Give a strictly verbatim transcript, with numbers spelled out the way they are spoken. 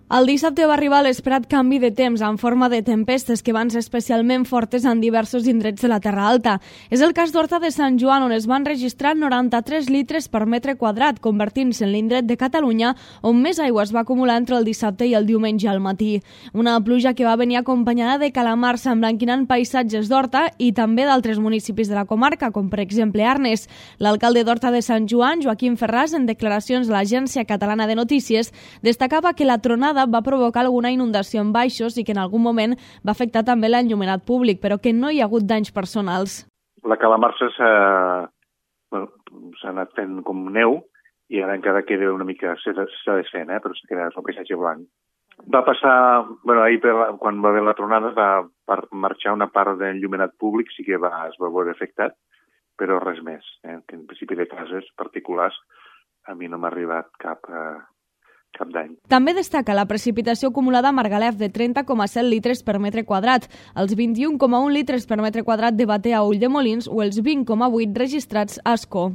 El dissabte va arribar l'esperat canvi de temps en forma de tempestes que van ser especialment fortes en diversos indrets de la Terra Alta. És el cas d'Horta de Sant Joan, on es van registrar noranta-tres litres per metre quadrat, convertint-se en l'indret de Catalunya on més aigua es va acumular entre el dissabte i el diumenge al matí. Una pluja que va venir acompanyada de calamars emblanquinant paisatges d'Horta i també d'altres municipis de la comarca, com per exemple Arnes. L'alcalde d'Horta de Sant Joan, Joaquim Ferràs, en declaracions a l'Agència Catalana de Notícies, destacava que la tronada va provocar alguna inundació en baixos i que en algun moment va afectar també l'enllumenat públic, però que no hi ha hagut danys personals. La calamarsa s'ha bueno, anat fent com neu i ara encara queda una mica, s'ha desfent, eh? Però s'ha quedat un paisatge blanc. Va passar, bueno, ahir per la, quan va haver la tronada va per marxar una part d'enllumenat públic, sí que va, es va veure afectat, però res més. Eh? Que en principi de cases particulars a mi no m'ha arribat cap... Eh, cap d'any. També destaca la precipitació acumulada a Margalef de trenta coma set litres per metre quadrat, els vint-i-un coma un litres per metre quadrat de Batea a Ulldemolins o els vint coma vuit registrats a Ascó.